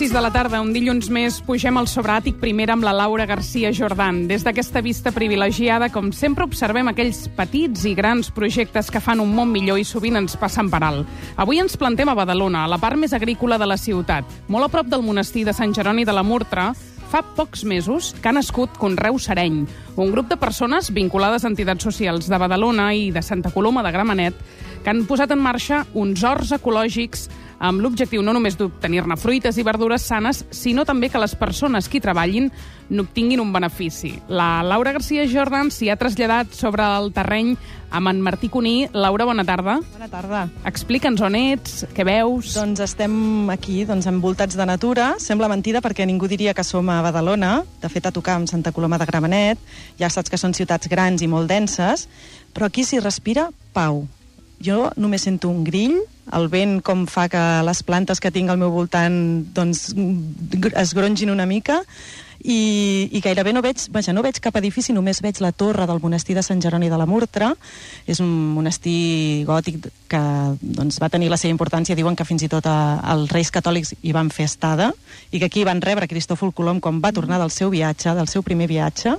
6 de la tarda, un dilluns més, pugem al Sobràtic primera amb la Laura García Jordan. Des d'aquesta vista privilegiada, com sempre, observem aquells petits i grans projectes que fan un món millor i sovint ens passen per alt. Avui ens plantem a Badalona, a la part més agrícola de la ciutat, molt a prop del monestir de Sant Jeroni de la Murtra. Fa pocs mesos que ha nascut Conreu Sereny, un grup de persones vinculades a entitats socials de Badalona i de Santa Coloma de Gramenet que han posat en marxa uns horts ecològics amb l'objectiu no només d'obtenir-ne fruites i verdures sanes, sinó també que les persones que hi treballin n'obtinguin un benefici. La Laura García Jordan s'hi ha traslladat sobre el terreny amb en Martí Cuní. Laura, bona tarda. Bona tarda. Explica'ns on ets, què veus. Doncs estem aquí, envoltats de natura. Sembla mentida perquè ningú diria que som a Badalona. De fet, a tocar amb Santa Coloma de Gramenet. Ja saps que són ciutats grans i molt denses, però aquí s'hi respira pau. Jo només sento un grill, el vent com fa que les plantes que tinc al meu voltant es grongin una mica, i gairebé no veig cap edifici, només veig la torre del monestir de Sant Jeroni de la Murtra. És un monestir gòtic que va tenir la seva importància. Diuen que fins i tot els reis catòlics hi van fer estada i que aquí van rebre Cristòfol Colom quan va tornar del seu viatge, del seu primer viatge,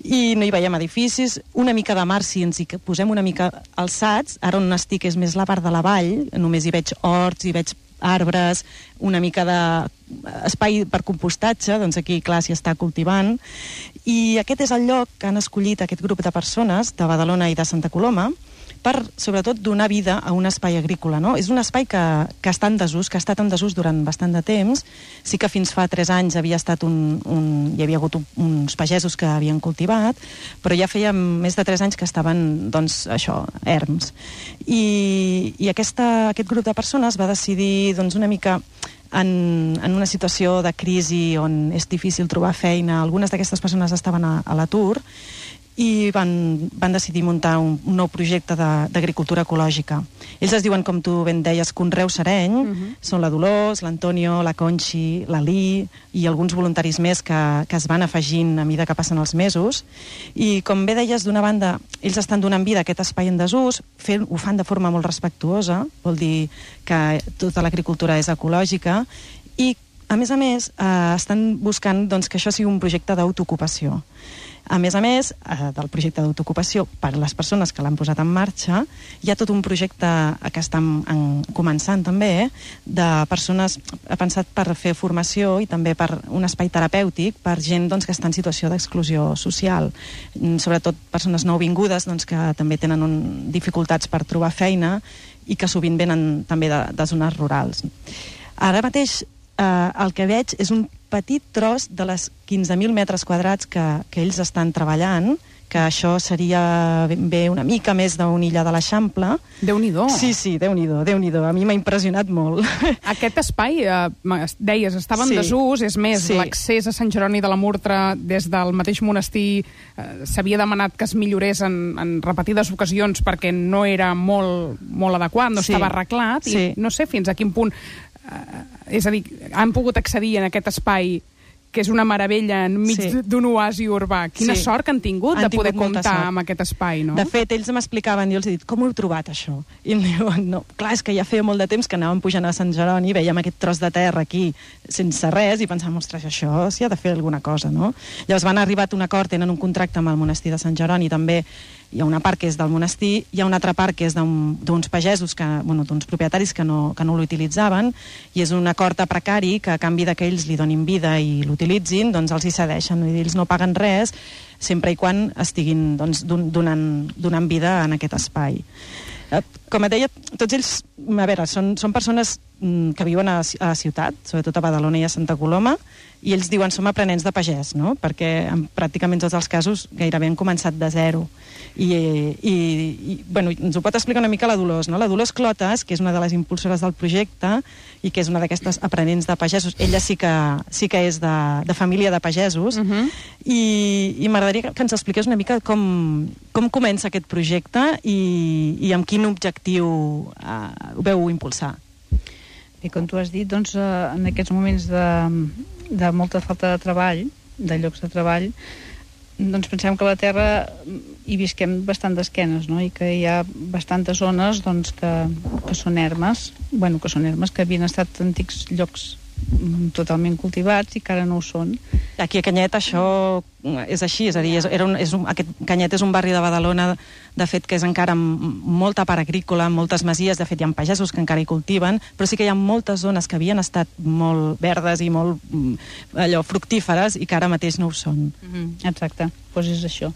i no hi veiem edificis. Una mica de mar, si ens hi posem una mica alçats, ara on estic és més la part de la vall, només hi veig horts, hi veig arbres, una mica d'espai per compostatge, doncs aquí, clar, s'hi està cultivant. I aquest és el lloc que han escollit aquest grup de persones de Badalona i de Santa Coloma per, sobretot, donar vida a un espai agrícola, no? És un espai que està en desús, que ha estat en desús durant bastant de temps. Sí que fins fa 3 anys hi havia hagut uns pagesos que havien cultivat, però ja feia més de 3 anys que estaven, erms. I aquest grup de persones va decidir, una mica en una situació de crisi on és difícil trobar feina. Algunes d'aquestes persones estaven a l'atur i van decidir muntar un nou projecte d'agricultura ecològica. Ells es diuen, com tu ben deies, Conreu Sereny. Són la Dolors, l'Antonio, la Conxi, l'Alí i alguns voluntaris més que es van afegint a mida que passen els mesos. I com bé deies, d'una banda, ells estan donant vida a aquest espai en desús, ho fan de forma molt respectuosa, vol dir que tota l'agricultura és ecològica, i a més, estan buscant que això sigui un projecte d'autoocupació. A més, del projecte d'autoocupació, per a les persones que l'han posat en marxa, hi ha tot un projecte que estan començant també, de persones pensat per fer formació i també per un espai terapèutic per gent que està en situació d'exclusió social. Sobretot persones nouvingudes que també tenen dificultats per trobar feina i que sovint venen també de zones rurals. Ara mateix el que veig és un petit tros de les 15.000 metres quadrats que ells estan treballant, que això seria ben bé una mica més d'una illa de l'Eixample. Déu-n'hi-do. Sí, Déu-n'hi-do. A mi m'ha impressionat molt. Aquest espai, deies, estava en desús, és més, l'accés a Sant Jeroni de la Murtra des del mateix monestir s'havia demanat que es millorés en repetides ocasions perquè no era molt adequat, no estava arreglat, i no sé fins a quin punt... és a dir, han pogut accedir en aquest espai que és una meravella enmig d'un oasi urbà. Quina sort que han tingut de poder comptar amb aquest espai, no? De fet, ells m'explicaven, jo els he dit, com ho heu trobat, això? I em diuen, no, clar, és que ja feia molt de temps que anàvem pujant a Sant Jeroni, veiem aquest tros de terra aquí sense res i pensàvem, ostres, això s'hi ha de fer alguna cosa, no? Llavors van arribar a un acord, tenen un contracte amb el monestir de Sant Jeroni, també hi ha una part que és del monestir, hi ha una altra part que és d'uns pagesos, d'uns propietaris que no l'utilitzaven, i és un acord a precari que a canvi que ells li donin vida i l'utilitzin, doncs els hi cedeixen. Ells no paguen res, sempre i quan estiguin donant vida en aquest espai. Com et deia, tots ells, a veure, són persones que viuen a la ciutat, sobretot a Badalona i a Santa Coloma, i ells diuen som aprenents de pagès, no? Perquè en pràcticament tots els casos gairebé han començat de zero. I ens ho pot explicar una mica la Dolors, no? La Dolors Clotas, que és una de les impulsores del projecte i que és una d'aquestes aprenents de pagesos, ella sí que és de família de pagesos, i m'agradaria que ens expliqués una mica com comença aquest projecte i amb quin objectiu ho veu impulsar. I com tu has dit, en aquests moments de molta falta de treball, de llocs de treball, pensem que a la Terra hi visquem bastant d'esquenes, no? I que hi ha bastantes zones que són ermes, que havien estat antics llocs totalment cultivats i que ara no ho són. Aquí a Canyet això és així, és a dir, aquest Canyet és un barri de Badalona, de fet, que és encara amb molta part agrícola, moltes masies, de fet hi ha pagesos que encara hi cultiven, però sí que hi ha moltes zones que havien estat molt verdes i molt fructíferes i que ara mateix no ho són. Exacte, doncs és això.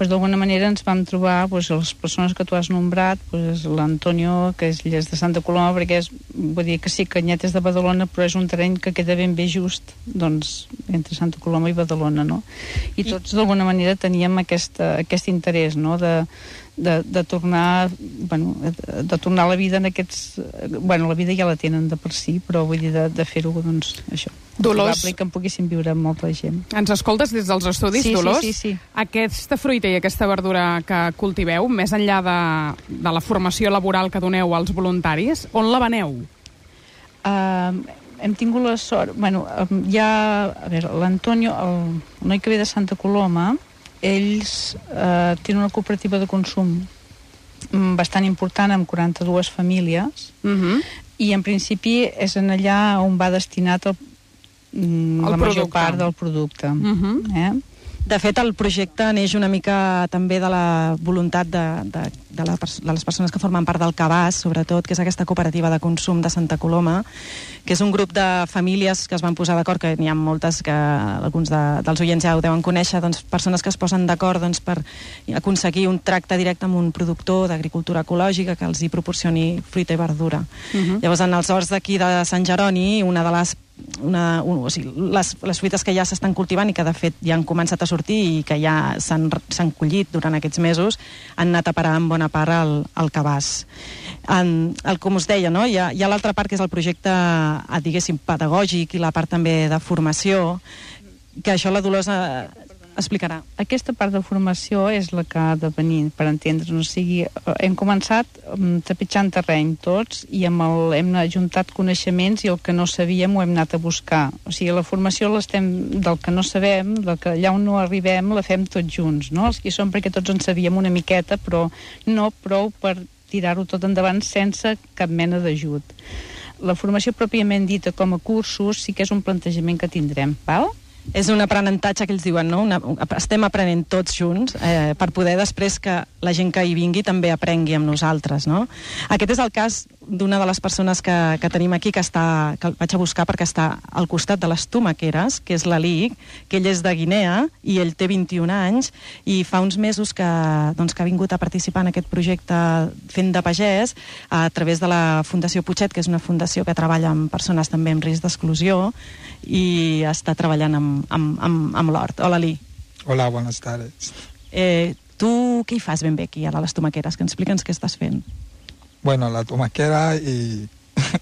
D'alguna manera ens vam trobar les persones que tu has nombrat, l'Antonio, que és de Santa Coloma, perquè vull dir que sí, Canyet és de Badalona, però és un terreny que queda ben bé just entre Santa Coloma i Badalona, no? I tots d'alguna manera teníem aquest interès, no?, de tornar a la vida en aquests... la vida ja la tenen de per si, però vull dir de fer-ho, això. Dolors, és probable que en poguéssim viure amb molta gent. Ens escoltes des dels estudis, Dolors? Sí. Aquesta fruita i aquesta verdura que cultiveu, més enllà de la formació laboral que doneu als voluntaris, on la veneu? Hem tingut la sort... Hi ha... A veure, l'Antonio, el noi que ve de Santa Coloma, ells tenen una cooperativa de consum bastant important, amb 42 famílies, i en principi és en allà on va destinat la major part del producte. De fet, el projecte neix una mica també de la voluntat de les persones que formen part del Cabàs, sobretot, que és aquesta cooperativa de consum de Santa Coloma, que és un grup de famílies que es van posar d'acord, que n'hi ha moltes que alguns dels oients ja ho deuen conèixer, persones que es posen d'acord per aconseguir un tracte directe amb un productor d'agricultura ecològica que els hi proporcioni fruita i verdura. Llavors, en els horts d'aquí de Sant Jeroni, una de les fruites que ja s'estan cultivant i que de fet ja han començat a sortir i que ja s'han collit durant aquests mesos, han anat a parar en bona part al cabàs. Com us deia, no? Hi ha l'altra part que és el projecte, diguéssim, pedagògic i la part també de formació, que això la Dolors explicarà. Aquesta part de formació és la que ha de venir, per entendre'ns. O sigui, hem començat trepitjant terreny tots i hem ajuntat coneixements i el que no sabíem ho hem anat a buscar. O sigui, la formació del que no sabem, allà on no arribem, la fem tots junts, no? Els que hi som perquè tots en sabíem una miqueta, però no prou per tirar-ho tot endavant sense cap mena d'ajut. La formació pròpiament dita com a cursos sí que és un plantejament que tindrem, val? És un aprenentatge que ells diuen, no? Estem aprenent tots junts per poder després que la gent que hi vingui també aprengui amb nosaltres, no? Aquest és el cas d'una de les persones que tenim aquí, que el vaig a buscar perquè està al costat de les tomaqueres, que és l'Alic, que ell és de Guinea i ell té 21 anys i fa uns mesos que ha vingut a participar en aquest projecte fent de pagès a través de la Fundació Putxet, que és una fundació que treballa amb persones també en risc d'exclusió i està treballant amb l'hort. Hola, Ali. Hola, buenas tardes. Tu què hi fas ben bé aquí, a les tomaqueres? Que explica'ns què estàs fent. Bueno, la tomaquera y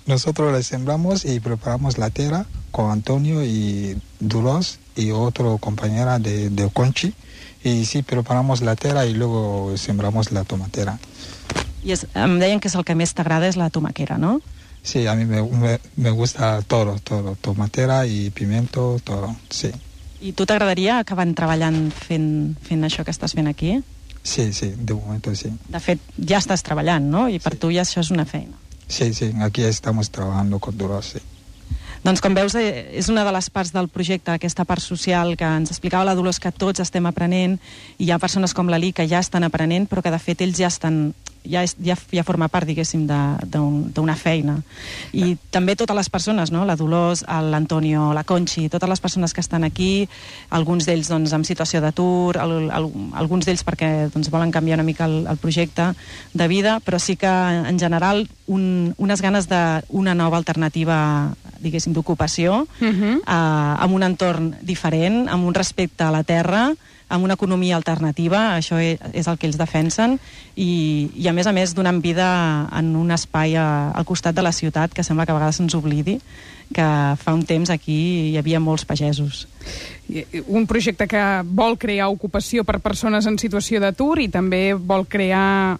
nosotros la sembramos y preparamos la tierra con Antonio y Dolors y otro compañera de Conchi. Y sí, preparamos la tierra y luego sembramos la tomatera. I em deien que és el que més t'agrada és la tomaquera, no? Sí, a mí me gusta todo, tomatera y pimiento, todo, sí. I tu t'agradaria acabar treballant fent això que estàs fent aquí? Sí, de momento sí. De fet, ja estàs treballant, no? I per tu ja això és una feina. Sí, aquí estamos trabajando con Dolors, sí. Doncs com veus, és una de les parts del projecte, aquesta part social que ens explicava la Dolors, que tots estem aprenent, i hi ha persones com l'Ali que ja estan aprenent, però que de fet ells ja forma part, diguéssim, d'una feina. I també totes les persones, no? La Dolors, l'Antonio, la Conchi, totes les persones que estan aquí, alguns d'ells en situació d'atur, alguns d'ells perquè volen canviar una mica el projecte de vida, però sí que en general unes ganes d'una nova alternativa, diguéssim, d'ocupació, amb un entorn diferent, amb un respecte a la terra, amb una economia alternativa, això és el que ells defensen, i a més donant vida en un espai al costat de la ciutat, que sembla que a vegades se'ns oblidi, que fa un temps aquí hi havia molts pagesos. Un projecte que vol crear ocupació per persones en situació d'atur i també vol crear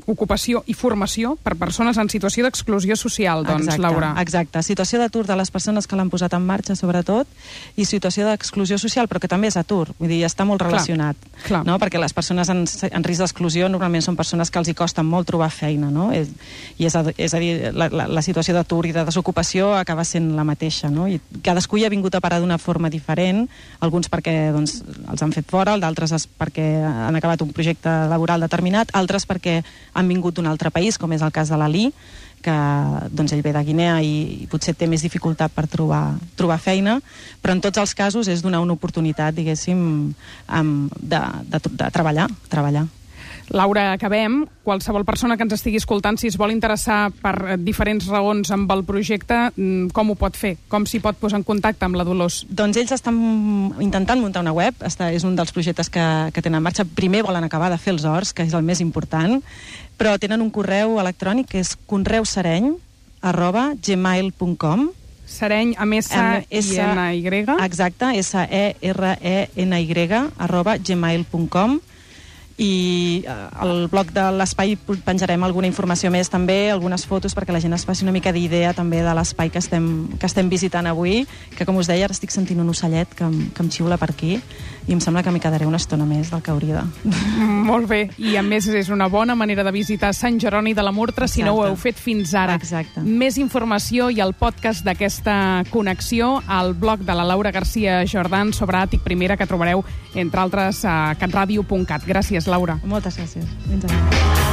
ocupació i formació per persones en situació d'exclusió social, doncs, Laura. Exacte. Situació d'atur de les persones que l'han posat en marxa, sobretot, i situació d'exclusió social, però que també és atur. Vull dir, està molt relacionat. Clar. No? Perquè les persones en risc d'exclusió normalment són persones que els hi costa molt trobar feina, no? I és a dir, la situació d'atur i de desocupació acaba sent la mateixa, no? I cadascú hi ha vingut a parar d'una forma diferent, alguns perquè doncs, els han fet fora, d'altres perquè han acabat un projecte laboral determinat, altres perquè han vingut d'un altre país, com és el cas de l'Ali, que doncs, ell ve de Guinea i potser té més dificultat per trobar feina, però en tots els casos és donar una oportunitat, diguéssim, de treballar. Laura, acabem. Qualsevol persona que ens estigui escoltant, si es vol interessar per diferents raons amb el projecte, com ho pot fer? Com s'hi pot posar en contacte amb la Dolors? Doncs ells estan intentant muntar una web, és un dels projectes que tenen en marxa. Primer volen acabar de fer els horts, que és el més important, però tenen un correu electrònic que és conreusereny@gmail.com. Sereny amb S-I-N-Y. Exacte, SERENY@gmail.com. I al blog de l'Espai penjarem alguna informació més també, algunes fotos perquè la gent es faci una mica d'idea també de l'espai que estem visitant avui, que com us deia ara estic sentint un ocellet que em xiula per aquí i em sembla que m'hi quedaré una estona més del que hauria de. Molt bé, i a més és una bona manera de visitar Sant Jeroni de la Murtra. Exacte. Si no ho heu fet fins ara. Exacte. Més informació i el podcast d'aquesta connexió al blog de la Laura García Jordan sobre Àtic Primera, que trobareu entre altres a catradio.cat. Gràcies, Laura. Moltes gràcies. Fins ara.